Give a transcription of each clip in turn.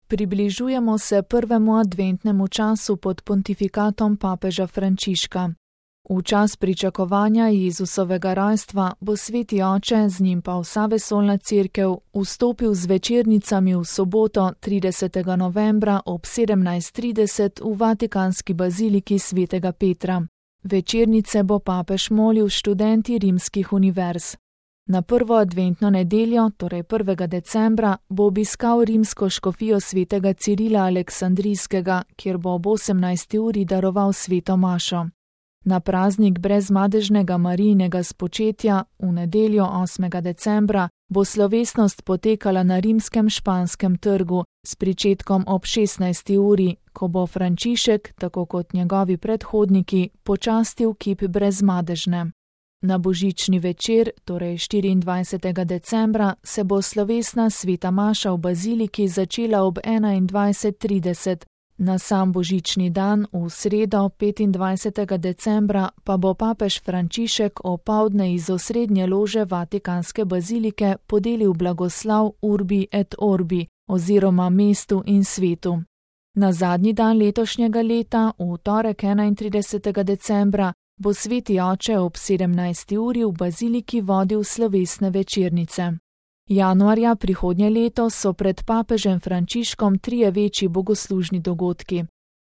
Približujemo se prvemu adventnemu času pod pontifikatom papeža Frančiška. V čas pričakovanja Jezusovega rojstva bo Sveti Oče, z njim pa vsa vesoljna cerkev, vstopil z večernicami v soboto 30. novembra ob 17:30 v Vatikanski baziliki svetega Petra. Večernice bo papež molil študenti rimskih univerz. Na prvo adventno nedeljo, torej 1. decembra, bo obiskal rimsko škofijo svetega Cirila Aleksandrijskega, kjer bo ob 18. uri daroval sveto mašo. Na praznik brezmadežnega Marijinega spočetja v nedeljo 8. decembra bo slovesnost potekala na rimskem Španskem trgu s pričetkom ob 16. uri, ko bo Frančišek, tako kot njegovi predhodniki, počastil kip brezmadežne. Na božični večer, torej 24. decembra, se bo slovesna sveta maša v baziliki začela ob 21:30. Na sam božični dan, v sredo 25. decembra, pa bo papež Frančišek opoldne iz osrednje lože Vatikanske bazilike podelil blagoslav Urbi et Orbi oziroma mestu in svetu. Na zadnji dan letošnjega leta, v torek 31. decembra, bo Sveti Oče ob 17. uri v baziliki vodil slovesne večernice. Januarja prihodnje leto so pred papežem Frančiškom trije večji bogoslužni dogodki.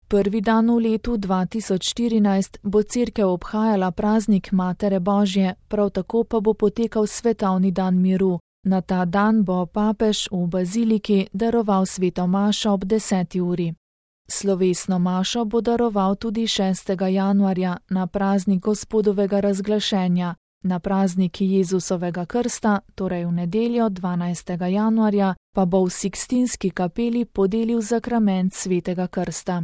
Prvi dan v letu 2014 bo cerkev obhajala praznik Matere Božje, prav tako pa bo potekal svetovni dan miru. Na ta dan bo papež v baziliki daroval sveto mašo ob 10. uri. Slovesno mašo bo daroval tudi 6. januarja na praznik Gospodovega razglašenja. Na praznik Jezusovega krsta, torej v nedeljo 12. januarja, pa bo v Sikstinski kapeli podelil zakrament svetega krsta.